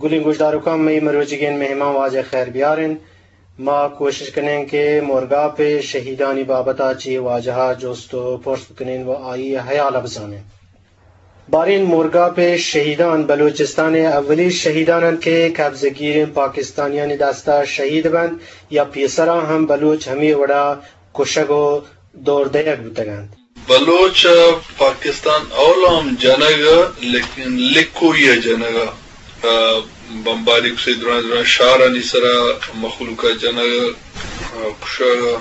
گلیں گوشداروکاں، مئی مروچیگیں مہمان واجہ خیر بیار انت۔ ما کوشش کنیں کہ مورگاپ ءِ شہیدانی بابت ءَ چہ واجہ ءَ جست ءُ پرس بکنیں ءُ آئی ءِ ہیال ءَ بزانیں۔ باریں، مورگاپ ءِ شہیدان بلوچستان ءِ اولی شہیدان انت کہ قبضہ گیریں پاکستانیانی دست ءَ شہید بنت یا پیسرا ہم بلوچ ہمے وڑا کشگ ءُ دور دئیگ بوتگ انت؟ بلوچ ءَ پاکستان اولا ہم جنگ ءَ، لیکن لکوئی ءَ جنگ ءَ، آ، بمباری کسے درائیں درائیں شہرانی سرا مخلوق ءَ جنگ ءَ، آ، کشگ ءَ،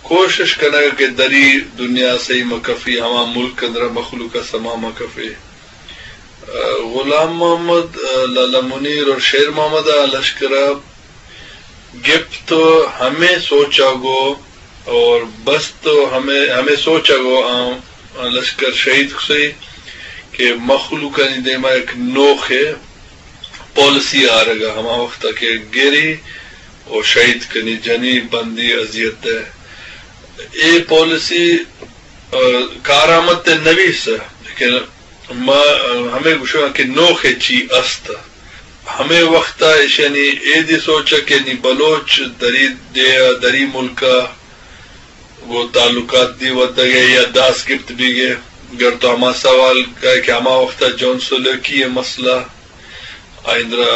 کوشش کنگ ءَ کہ دری دنیا سہی مکفی، ہما ملک اندرا مخلوق ءَ سما مکفے۔ آ، غلام محمد، آ، لالا منیر اور شیر محمد ءَ لشکر ءَ گپت ءُ ہمے سوچ ءَ گوں اور بست ءُ ہمے، ہمے سوچ ءَ گوں آ، آ لشکر شہید کسئی کہ مخلوقانی دیما یک نوخے پالیسی آرگ ءَ، ہما وخت ءَ کہ گری ءُ شہید کنی، جنی، بندی، اذیت دے۔ اے پالیسی، آ، کارآمد تے نبیس، لیکن ما ہمے گوشاں کہ نوخے چی است۔ ہمے وخت ءَ ایشانی اے دی سوچ ءَ کہ نی بلوچ دری ڈیھ ءَ، دری ملک ءَ گوں تعلقات دی ودگ ءَ یا داس گپت بیگ ءَ۔ گر تو ہما سوال کئے کہ ہما وخت ءَ جون سلوکی ءِ مسئلہ، آئی اندرا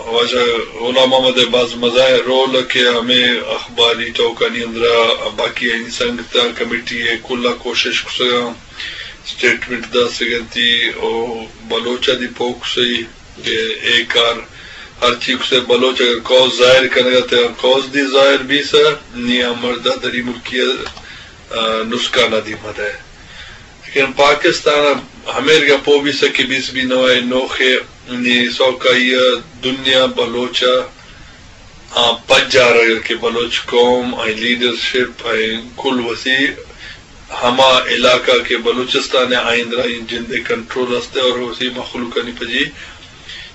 واجہ غلام محمد ءِ باز مزائیں رول کہ ہمے اخباری ٹوکانی اندرا باقی آئی سنگتاں کمیٹی ءِ کل ءَ کوشش کسگاں، اسٹیٹمنٹ داسگنتی او بلوچ ءَ دی پوکسئی کہ اے کار ہرچی کسے بلوچ اگر قوس ظاہر کنگ ءَ تے قوس دی ظاہر بیسہ، نی آ مرد ءَ دری ملکی ءَ، آ، نسکان ءَ دی مدئے۔ لیکن پاکستان ءَ ہمیر گپو بیسہ کہ بیس بی نوائے نوخے نی سوکائی ءَ دنیا بلوچ ءَ آ پجارگ کہ بلوچ قوم، آئی لیڈرشپ، آئی کل وسی ہما علاقہ کہ بلوچستان ءَ آئی اندرا اے جند ءِ کنٹرول است ءُ اور وسی مخلوقانی پجی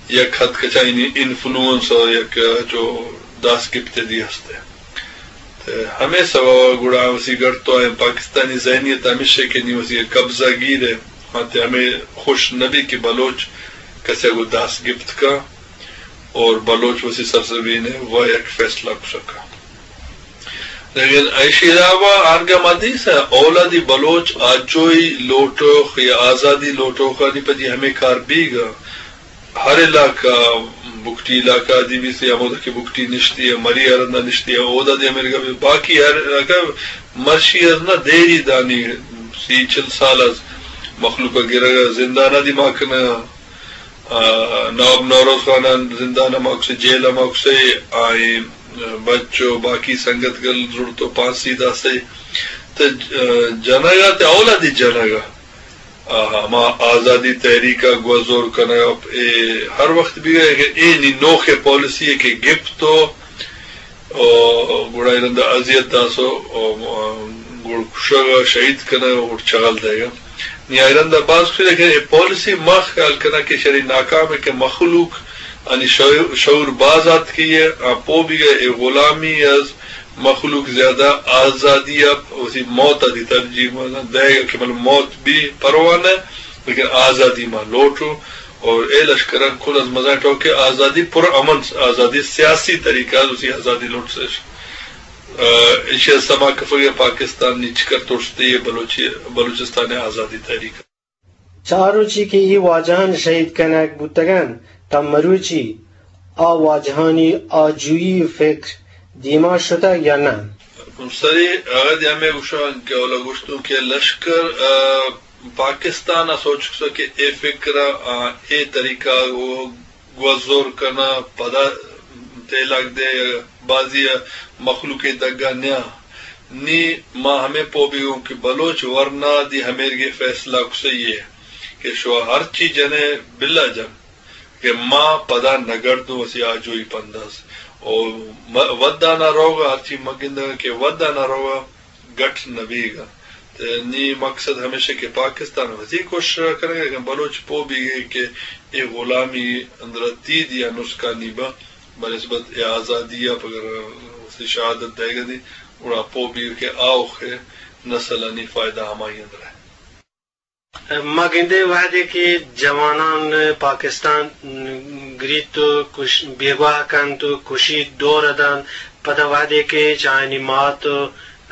یک حد کچا اینی انفلوئنس اور یک جو داس گپت دی است ءُ۔ تے ہمے سبب ءَ گڑا وسی گڑ تو ایں پاکستانی ذہنیت ہمیش ءَ کہ نی وسی قبضہ گیر ءَ، آتے ہمے خوش نبی کہ بلوچ کسے گوں داس گپت کا اور بلوچ وسی سرزمین ءَ و یک فیصلہ کسکا۔ لیکن ایشی علاوہ آرگا مدیس ءَ اولادی بلوچ آجوئی لوٹوخ یا آزادی لوٹوخانی پجی ہمے کار بیگا۔ ہر علاقہ، بگٹی علاقہ دی بیسے، ہمودا کہ بگٹی نشتی ءَ، مری ارندا نشتی ءَ، اودا دی ہمے گپے۔ باقی ہر علاقہ مرشی از نہ دیری دانی سی چل سال از مخلوق ءَ گرگ ءَ زندان ءَ دی ما کنگ ءَ۔ آ، نواب نوروز خان ءَ زندان ءَ ما کسے، جیل ءَ ما کسے، آئی بچ ءُ باقی سنگت گل زڑت ءُ پھانسی داسے۔ تے ج-، جنگ ءَ تے اولادی جنگ ءَ۔ آ، ہما آزادی تحریک ءَ گوزور کنگ ءَ اے ہر وقت بیگا کہ اے نی نوخیں پالیسی ءَ کہ گپت ءُ او گڑا اے رندا اذیت داسو، او، گڑ کشگ ءَ، شہید کنگ ءَ، گڑ چغل دئیگ ءَ۔ نی اے رندا باز کچھ، لیکن اے پالیسی ما خیال کناں کہ شری ناکام ہے کہ مخلوق انی شعور، شعور باز آتکی ہے، آ پو بیگا اے غلامی از مخلوق زیادہ آزادی ءَ وتی موت ءَ دی ترجیح دئیگ ءَ کہ بلے موت بی پرواہ نہ، لیکن آزادی ما لوٹو۔ اور اے لشکراں کل از مزن ٹوکے آزادی پر امن، آزادی سیاسی طریقہ ءَ وتی آزادی لوٹسش۔ آ، ایشی ءَ سما کفگ ءَ پاکستان نی چکر توشتے بلوچی، بلوچستان ءِ آزادی تحریک۔ چار روچی کہ اے واجہان شہید کنگ بوتگن، تا مروچی آ واجہانی آجوئی فکر دیما شتگ یا نہ؟ سری اگد ہمے گوشاں کہ اولا گوشتوں کہ لشکر، آ، پاکستان ءَ سوچ کسا کہ اے فکر ءَ، آ، اے طریقہ ءَ گوزور کناں، پدا تیلاگ دے، بازی ءَ مخلوق ءِ دگا نیاں۔ نی ما ہمے پو بیگوں کہ بلوچ ورنا دی ہمیرگے فیصلہ کسئی ہے کہ شوا ہرچی جنے بلا جن کہ ما پدا نگردوں وسی آجوئی پنداز۔ او م-، ودانا روگا ہرچی مگندگا کہ ودانا روگا گٹ نہ بیگ ءَ۔ تے نی مقصد ہمیش کہ پاکستان وتی کوشش ءَ کنگ ءَ، بلوچ پو بیگ ءَ کہ اے غلامی اندر تی دیا نسکانی با بنسبت اے آزادی ءَ پگر وتی شہادت دئیگ ءَ دی، گڑا پو بیگ کہ آوخ نسلانی فائدہ ہمائی اندر ہے۔ ما گندے وہدے کہ جوانان پاکستان گریت و کش-، بیگواہ کنت و کشیت، دور دنت۔ پدا وہدے کہ چہ آیانی مات و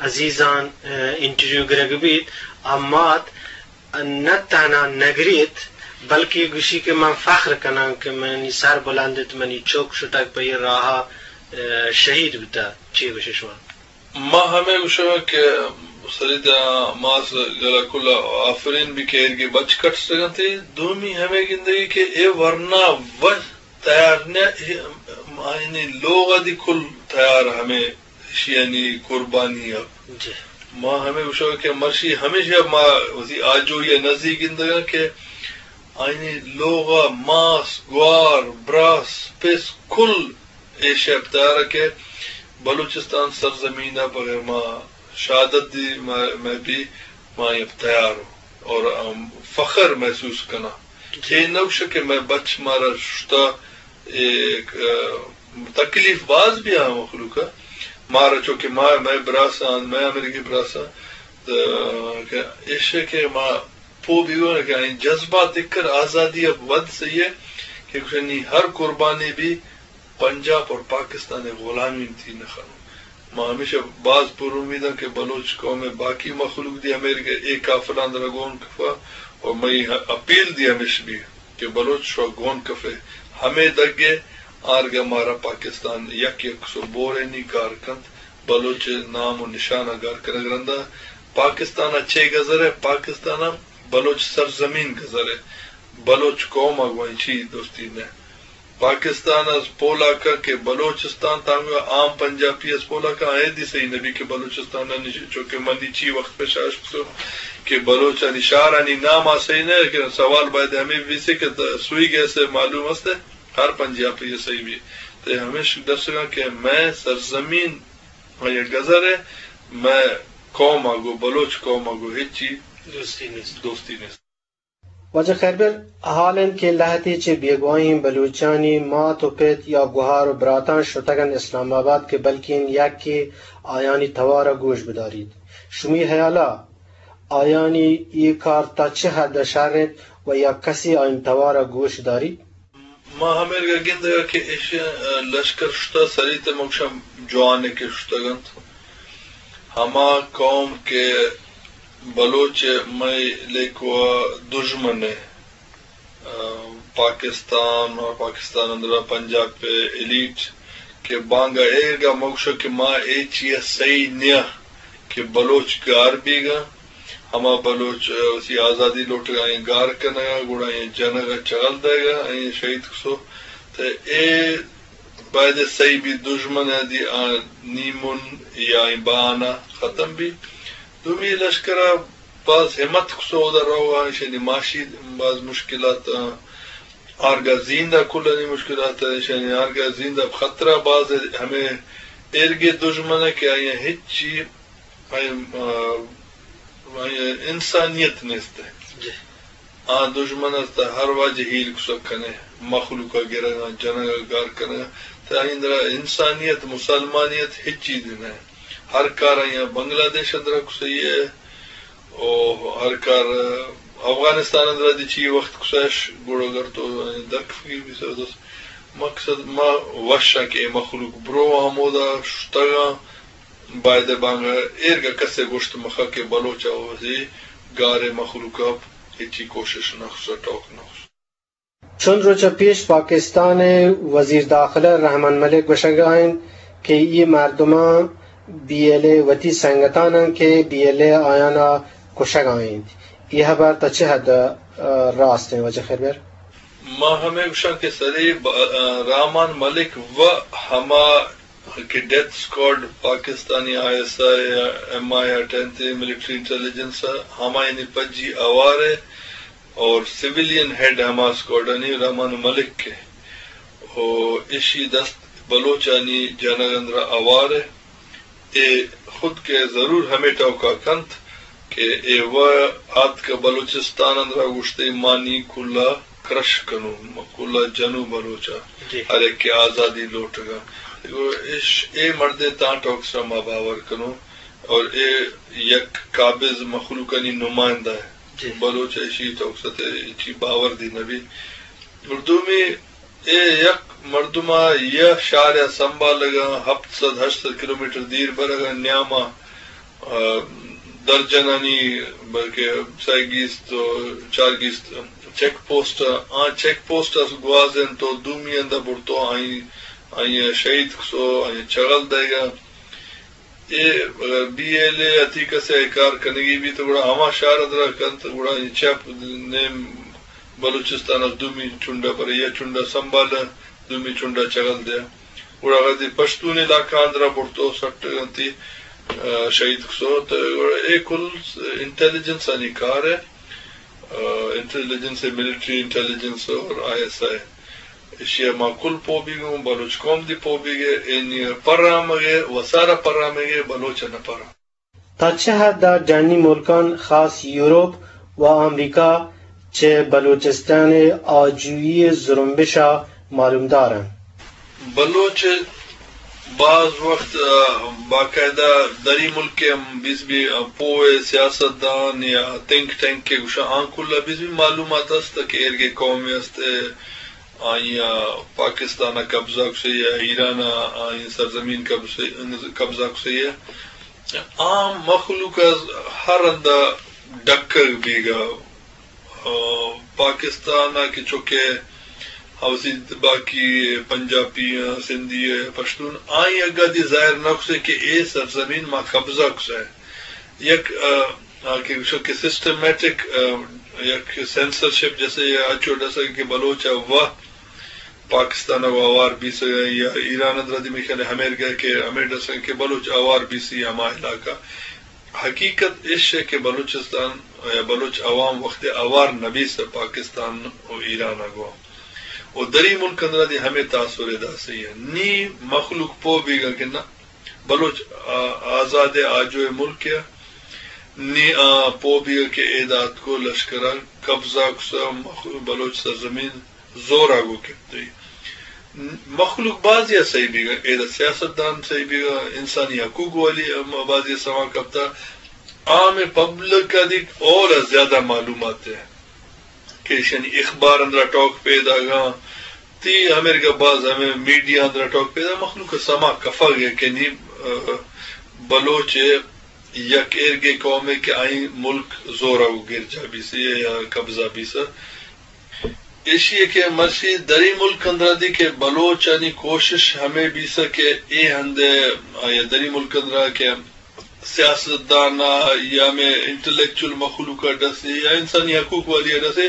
عزیزان، اه، انٹرویو گرگ بیت، آ مات نہ تہنا نگریت، بلکہ گوشی کہ من فخر کناں کہ منی سر بلند ات، منی چک شتگ پہ اے راہا، اه، شہید بوتہ۔ چے گوشے شما؟ ما ہمے گوشگ کہ سریت ء ماس گلا کل ء آفرین بی کہ ایرگی بچ کٹسگ انت۔ دومی ہمے گندگی کہ اے ورنا وت تیار نہ، اے آیانی لوغ ء دی کل تیار ہمے اشیانی قربانی ء۔ جی۔ ما ہمے گوشگ کہ مرشی ہمیشہ ما وتی آجوئی ء نزیک گندگاں کہ آیانی لوغ ء ماس، گوار، براس، پس کل اے شپ تیار کہ بلوچستان سرزمین ء بغیر ما شہادت دی ما، میں بھی ما یہ تیار ہوں اور ہم فخر محسوس کناں۔ جی۔ اے نوش کہ میں بچ مارا شتا، اے، ا، تکلیف باز بھی آ مخلوق ء۔ مارا چونکہ ما، میں براساں، میں امریکی براساں، تو کہ ایش کہ ما پو بیگو کہ این جذبات دکر آزادی ء ود سہی ہے کہ گوشنی ہر قربانی بھی پنجاب اور پاکستان ء غلامی تھی نہ خنو۔ ما ہمیشہ باز پر امید ہیں کہ بلوچ قوم ء باقی مخلوق دی ہمے کہ اے کافران در گون کفا اور مئی اپیل دی ہمیش بھی کہ بلوچ شو گون کفے ہمے دگے آرگا مارا پاکستان یک یک سو بورینی گار کنت۔ بلوچ نام و نشان ء گار کنگ رندا پاکستان ء چے گزر ہے؟ پاکستان ء بلوچ سرزمین گزر ہے۔ بلوچ قوم ء گوائیں چی دوستی نہ۔ پاکستان از پولا کا کہ بلوچستان تانگو عام پنجابی از پولا کا آئے دی صحیح نبی کہ بلوچستان ء نش-، چونکہ منی چی وقت پہ شاش کسو کہ بلوچانی شہرانی نام آ صحیح نہ، لیکن سوال باید ہمیں بھی سے کہ سوئی گیس معلوم است ہے ہر پنجابی صحیح بھی۔ تے ہمیش درسگا کہ میں سرزمین آئی ء گزر ء مئے قوم ء گوں بلوچ قوم ء گوں ہچی دوستی نیست۔ دوستی نیست۔ واجہ خیربر، حال انت کہ لہتے چہ بیگواہیں بلوچانی مات و پت یا گوہار و براتاں شتگ انت اسلام آباد کہ بلکیں یکے آیانی توار ء گوش بداریت۔ شمی ہیال ء آیانی اے کار تا چہ حد ء شر انت و یا کسے آیانی توار ء گوش داریت؟ ما ہمیرگا گندگا کہ ایشی ء لشکر شتہ سریت ء مگشاں جوانکے شتگ انت۔ ہما قوم کہ بلوچ ء مئے لیکوا دژمن ء، ء، پاکستان اور پاکستان اندرا پنجاب ء ایلیٹ کہ بانگا ایرگا مگشاں کہ ما اے چیئے سہی نیاں کہ بلوچ گار بیگا۔ ہما بلوچ، ء، وتی آزادی لوٹگا آئیں گار کنگا، گڑا آئیں جنگا چغل دئیگا، آئیں شہید کسو۔ تہ اے باید سہی بی دژمن ء دی آ نیمون یا آئیں بہانہ ختم بی۔ دومی لشکر ء باز ہمت کسو اودا روگا، ایشانی معاشی باز مشکلات، ء، آرگا زیندہ کلانی مشکلات، ایشانی آرگا زیندہ خطرہ باز ہمیں ایرگے دژمن ء کہ آئیں ہچی آئی، آ، آئی انسانیت نیست ہے۔ جی۔ آ دژمن است، ہر واجہ ہیل کسک کنے، مخلوق ء گرگا، جنگ ء گار کنگا۔ تو آئی اندرا انسانیت، مسلمانیت ہچ چیز نہ ہے۔ ہر کار آئی بنگلہ دیش اندرا کسئی ہے، او ہر کار افغانستان اندرا دی چی وقت کسش گڑ اگر تو دک فکر بھی سر دوست۔ مقصد ما وشاں کہ اے مخلوق برو ہمودا شتگاں۔ بایدے بانگا ایرگا کسے گوشت مخا کہ بلوچ ء وزی گارے مخلوق ء ہچی کوشش نہ خصوصا ٹوک نہ خصوصا۔ چند روچ ء پیش پاکستان ء وزیر داخلہ رحمان ملک گوشگ ء انت کہ اے مردماں بی ایل اے وتی سنگتان انت کہ بی ایل اے آیان ء کشگ ء انت۔ اے ہبر تا چہ حد ء راست انت واجہ خیربر؟ ما ہمے گوشاں کہ سری ب-، رحمان ملک و ہما کہ ڈیتھ اسکواڈ پاکستانی آئی ایس آئی، ایم آئی اٹھ انت، ملٹری انٹیلیجنس ء ہمایانی پجی اوار ء اور سویلین ہیڈ ہما اسکواڈانی رحمان ملک ء و ایشی دست بلوچانی جنگ اندرا اوار ء۔ اے خود کہ ضرور ہمے ٹوکا کنت کہ اے و آتکہ بلوچستان اندرا گوشتے مانی کلا کرش کنوں، کلا جنوں بلوچا، جی۔ ہر ایک کہ آزادی لوٹگا۔ اش-، اے مردے تاں ٹوک سرا ما باور کنوں اور اے یک قابض مخلوقانی نمائندہ ہے۔ جی۔ بلوچ ایشی ٹوک ستے چی باور دی نبی۔ اور دومی اے یک مردم ءَ یک شہر ءَ سنبھالگ ءَ ہپت سد ہشت سد کلومیٹر دیر برگ ءَ نیام ءَ، آ، درجنانی، بلکہ سئے گیست و چار گیست چیک پوسٹ ءَ، آ چیک پوسٹ ءَ گوازینت و دومی ہند ءَ برتو آئی، آئی ءَ شہید کسو، آئی ءَ چغل دئیگ ءَ۔ اے بی ایل اے ءَ تئی کسے ءَ کار کنگی بیت، گڑا ہما شہر ءَ درا کنت، گڑا اے چپ نیم بلوچستان ءَ دومی چنڈ ءَ برے، یا چنڈ ءَ سنبھال ءَ دومی چنڈ ءَ چغل دے۔ گڑا وہدے پشتون علاقہ آں درا برتو سٹ انتی، آ، شہید کسو، تو گڑا اے کل انٹیلیجنس آنی کار ہے۔ آ، انٹیلیجنس ہے، ملٹری انٹیلیجنس اور آئی ایس آئی۔ ایشی ءَ ما کل پوہ بیگ اوں، بلوچ قوم دی پوہ بیگ ءَ، اینی پرامگ ءَ، وسارا پرامگ ءَ، بلوچ ءَ نہ پرام۔ تا چہ حد ءَ جہانی ملکان خاص یورپ و امریکہ چہ بلوچستان ءِ آجوئی ءِ زرمبش ءَ معلومدار انت؟ بلوچ باز وقت، آ، باقاعدہ دری ملک ءَ ہم بیس بی، آ، پوہ سیاستدان یا تھنک ٹینک کہ گوشاں آں کل ءَ بیس بی معلومات است کہ ایرگے قومے است، آئی ءَ پاکستان ءَ قبضہ کسے یا ایران ءَ آئی سرزمین قبضہ، قبضہ کسے۔ عام مخلوق ءَ ہر ہند ءَ ڈکگ بیگ ءَ، آ، پاکستان ءَ کہ چکے اوسی باقی پنجابی، آ، سندھی، آ، پشتون، آئی اگاں دی ظاہر نہ کسے کہ اے سرزمین ما قبضہ کسے۔ یک، آ، آ، کہ گوشو کہ سسٹمیٹک، آ، یک سینسرشپ جیسے یا اچو ڈسگ کہ بلوچ ءَ و پاکستان ءَ و آوار بیسگ یا ایران ءَ درا دی میخل ہمیر گئے کہ ہمیر ڈسگ کہ بلوچ آوار بیسی ہما علاقہ۔ حقیقت اش ہے کہ بلوچستان یا بلوچ عوام وقت آوار نبیس پاکستان و ایران ءَ گوا و دری ملک اندرا دی ہمیں تاثر داسی ہے۔ نی مخلوق پو بیگا کہ نہ بلوچ آ-، آزاد آجو ملک ءَ، نی آ پو بیگ کہ اے دات کو لشکر ءَ قبضہ کسا مخ-، بلوچ سرزمین زور ءَ گو کپتئی۔ مخلوق بازی ءَ صحیح بیگ ءَ، اے دا سیاستدان صحیح بیگ ءَ، انسانی حقوق والی بازی ءَ سما کپتا۔ عام پبلک ءَ دی اور زیادہ معلومات ہے۔ کہ ایشانی اخبار اندرا ٹوک پیداگاں، تی امریکہ باز ہمیں میڈیا اندرا ٹوک پیدا مخلوق سما کفگ ہے کہ نی، آ، بلوچ یک ایرگے قوم ہے کہ آئی ملک زورا و گرجا بیسی یا قبضہ بیسا۔ ایشی ہے کہ مرشی دری ملک اندرا دی کہ بلوچانی کوشش ہمیں بیسا کہ اے ہندے آیا دری ملک اندرا کہ سیاستدان ءَ یا ہمے انٹلیکچوئل مخلوق ءَ ڈسے یا انسانی حقوق والی ءَ ڈسے،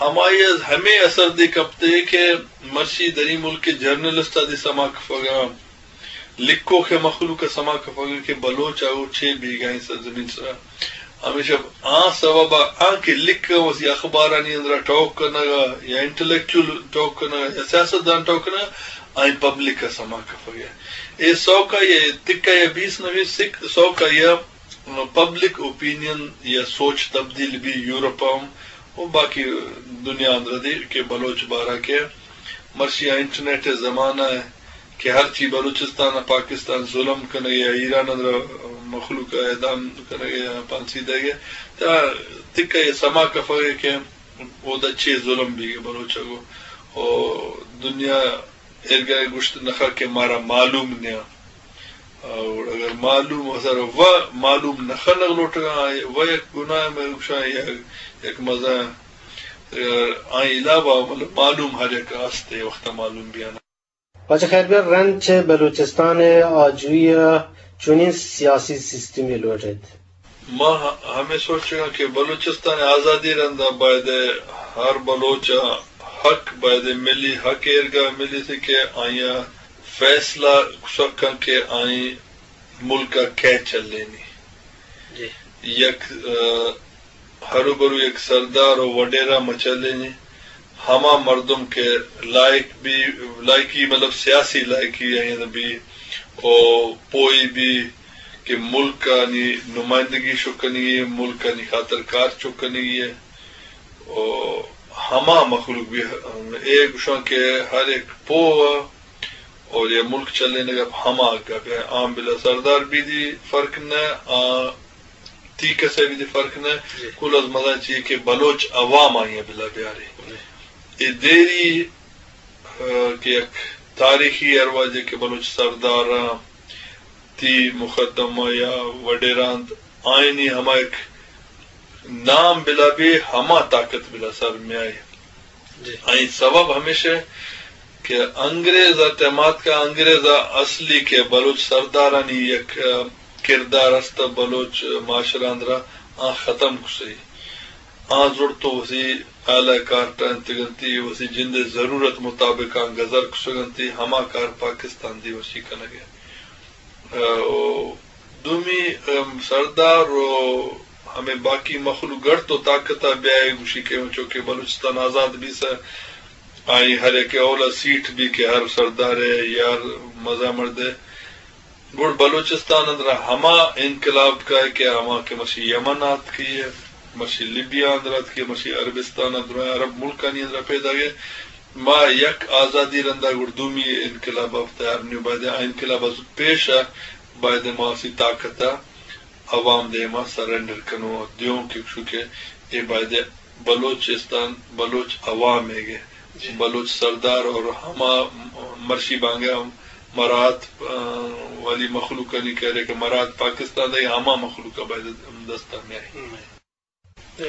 ہمائی ءَ ہمے اثر دے کپتے کہ مرچی دری ملک ءِ جرنلسٹ ءَ دی سما کفگ ءَ، لکھوک ءِ مخلوق ءَ سما کفگ ءَ کہ بلوچ ءَ چے بیگاہیں سرزمین سرا۔ ہمیشہ آ سبب ءَ آ کہ لکھ ءَ وسی اخبارانی اندرا ٹوک کنگ ءَ یا انٹلیکچوئل ٹوک کنگ ءَ یا سیاستدان ٹوک کنگ ءَ، آئی پبلک ءَ سما کفگ ءَ۔ اے سوکا یا تکا یا بیس نہ بیس سک-، سوکا یا پبلک اوپینین یا سوچ تبدیل بی یورپ ءَ ہم و باقی دنیا اندر دی کہ بلوچ بارہ کہ مرشی انٹرنیٹ ءِ زمانہ ءَ کہ ہرچی بلوچستان ءَ پاکستان ظلم کنگ ءَ یا ایران اندر مخلوق ءَ اعدام کنگ ءَ یا پھانسی دئیگ ءَ، تا تکا یا سما کفگ ءَ کہ اودا چے ظلم بیگ ءَ بلوچ ءَ گو۔ او دنیا ایرگا گوشت نخا کہ مارا معلوم نیا۔ اور اگر معلوم اثر و معلوم نخنگ لوٹگا، و یک گناہ میں گوشاں یک، یک مزہ، آئی علاوہ مطلب معلوم ہر یک آستے وقت معلوم بیانا۔ واجہ خیربیر، رند چہ بلوچستان ءِ آجوئی ءَ چونیں سیاسی سیستمے لوٹ ایت؟ ما ہ-، ہمے سوچگ ءَ کہ بلوچستان ءِ آزادی رند ءَ باید ءَ ہر بلوچ ءَ حق، باید ءَ ملی حق ایرگا ملی سی کہ آئی ءَ فیصلہ کسک کن کہ آئی ملک ءَ کئے چلینی۔ جی۔ یک، آ، ہروبرو یک سردار و وڈیرا مچلینی، ہما مردم کہ لائق بی، لائقی مطلب سیاسی لائقی آئی بی، او پوئی بی کہ ملک آنی نمائندگی چک کنگی، ملک آنی خاطر کار چک کنگی ہے۔ او ہما مخلوق بی، اے گوشاں کہ ہر ایک پو اور یہ ملک چلینگ ءَ ہما گپ ہے، عام بلا سردار بی دی فرق نہ، آ، تی کسے بی دی فرق نہ، جی۔ کل از مزن چیئے کہ بلوچ عوام آئی بلا بیاری۔ جی۔ اے دیری کہ یک تاریخی ارواجے کہ بلوچ سرداراں تی مقدمہ یا وڈیراں آئینی ہما یک نام بلا بی، ہما طاقت بلا سر میائے۔ جی۔ آئی سبب ہمیشہ کہ انگریز ء تیمات کا انگریز ء اصلی کہ بلوچ سردارانی یک، ا، کردار است، بلوچ معاشرہ اندرا آ ختم کسئی۔ آ زڑ تو وسی اعلی کارٹا انتگنتی، وسی جند ضرورت مطابق آ گزر کسگنتی، ہما کار پاکستان دی وسی کنگے۔ ء، و دومی، ام، سردار و ہمے باقی مخلوق گڑ تو طاقت ء بیائے گوشی کہ چونکہ بلوچستان آزاد بیسہ، آئی ہر یک اولا سیٹ بی کہ ہر سردار ء یا ہر مزہ مردے گڑ بلوچستان اندرا ہما انقلاب کائے کہ ہما کہ مشی یمن آتکی ء، مشی لیبیا اندر آتکی، مشی عربستان ء درائیں عرب ملکانی اندرا پیدا گئے۔ ما یک آزادی رندا گڑ دومی انقلاب ء تیار نیو، باید آ انقلاب از پیش ء باید ما اسی طاقت ء عوام دیما سرنڈر کنو دیوں کہ چونکہ اے باید بلوچستان بلوچ عوام ء گے، جی۔ بلوچ سردار اور ہما مرشی بانگا مراد، آ، والی مخلوقانی کہرے کہ مراد پاکستان دے ہما مخلوق باید دستا میائے۔ ہم۔ ء،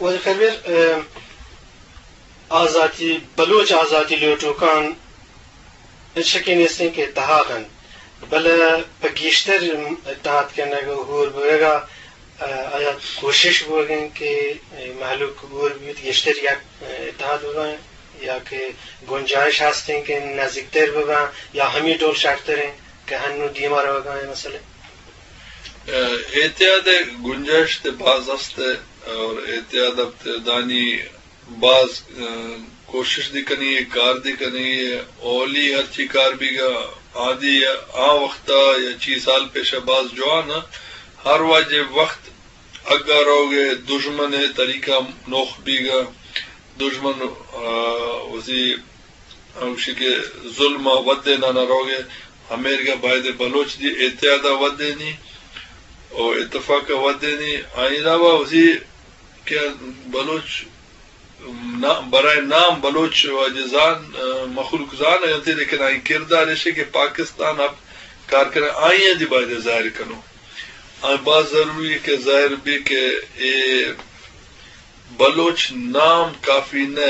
واجہ خیربیر، ء، آزاتی، بلوچ آزاتی لوٹوکان ہچ شکے نیستیں کہ اتحاد انت، بلے پہ گیشتر اتحاد کنگ ء ہور بوگ ء، ء، آیا کوشش بوگ انت کہ مہلوک ہور بیت، گیشتر یک اتحاد ببن، یا کہ گنجائش ہستیں کہ نزیکتر ببن، یا ہمی ڈول شرتر انت کہ ہنو دیما روگا انت مسئلہ؟ ء، اتحاد ء گنجائش تے باز است ء اور اتحاد ء دانی باز، ء، کوشش دی کنی، کار دی کنی۔ اولی ہرچی کار بیگا آدی آ وقتا یا چی سال پیش باز جوان ء، ہر واجہ وقت اگا روگ ء دژمن ء طریقہ نوخ بیگا، دژمن، ء، وزی ہمشی کہ ظلم ء ودے نانا روگ ء ہمیرگا باید بلوچ دی اتحاد ء ودینی او اتفاق ء ودینی۔ آئی علاوہ وزی کہ بلوچ نا-، برائے نام بلوچ واجہ زان، ء، مخلوق زان انت، لیکن آئی کردار ایشی کہ پاکستان اب کار کرے آئی دی باید ظاہر کنو۔ آئی باز ضروری ہے کہ ظاہر بھی کہ اے بلوچ نام کافی نہ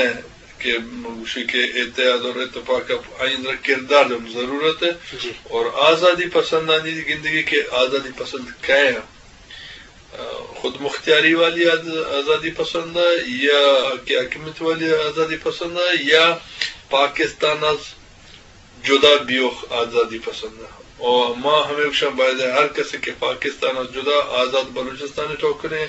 کہ گوشی کہ اتحاد اور اتفاق ء آئی اندر کردار ہم ضرورت ہے۔ جی۔ اور آزادی پسندانی گندگی کہ آزادی پسند کئے ہیں، خود مختیاری والی آز-، آزادی پسند ہے یا کہ حاکمیت والی آزادی پسند ہے یا پاکستان از جدا بیوخ آزادی پسند ء۔ او ما ہمے گوشاں باید ء ہر کسے کہ پاکستان ء جدا آزاد بلوچستان ء ٹوکنے،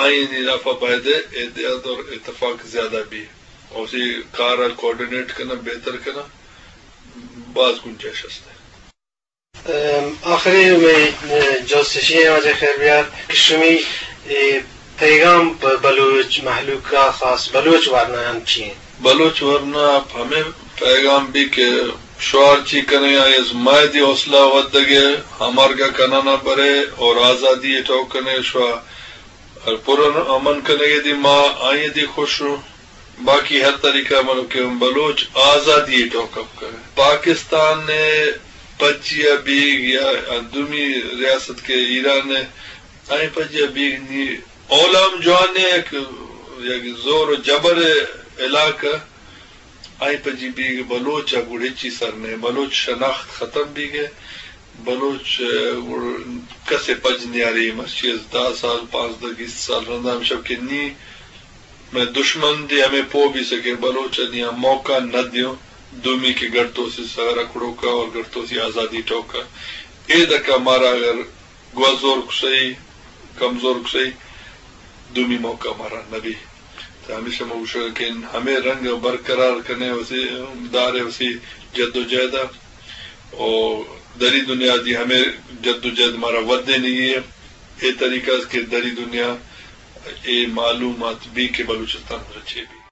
آئی ء ہلاف ء باید ء اتحاد اور اتفاق زیادہ بی۔ او اسی کار ء کوآرڈینیٹ کناں، بہتر کناں، باز گنجائش است۔ ام، آخری میں، اه، جوست شی واجہ خیر بیار کہ شمی، اه، پیغام پہ بلوچ مہلوک ء خاص بلوچ ورنایاں چی انت؟ بلوچ ورنا ء ہمے پیغام بی کہ شوار چی کنے آئی از مائدی حوصلہ ودگے، ہمارگا کنانا برے اور آزادی ٹوکنے شوار پر امن کنگے دی ما آئی دی خوش ہوں۔ باقی ہر طریقہ ملو کہ بلوچ آزادی ٹوکپ کرے۔ پاکستان نے پجیا بیگ یا دومی ریاست کے ایران نے آئی پجیا بیگ نی اولام جوان نے یک، یک زور و جبر علاقہ آئی پجی بیگ بلوچ ء گڑ ہچی سر نہ، بلوچ شناخت ختم بیگ ء، بلوچ ء گڑ کسے پج نیاری، مرچی از دہ سال، پانزدہ، بیست سال رندا ہم شب کہ نی مئے دشمن دی ہمے پو بیسہ کہ بلوچ ء نی آ موقع نہ دیوں، دومی کہ گڑتوسی سر ء کڑوکا اور گڑتوسی آزادی ٹوکا۔ اے دکا مارا اگر گوزور کسئی، کمزور کسئی، دومی موقع مارا نبی۔ تو ہمیشہ ما گوشگ کہ ہمے رنگ برقرار کنے وسی، دارے وسی جد و جہد ء۔ او دری دنیا دی ہمے جد و جہد مارا ودینگی ہے۔ اے طریقہ است کہ دری دنیا اے معلومات بی کہ بلوچستان رچے بی۔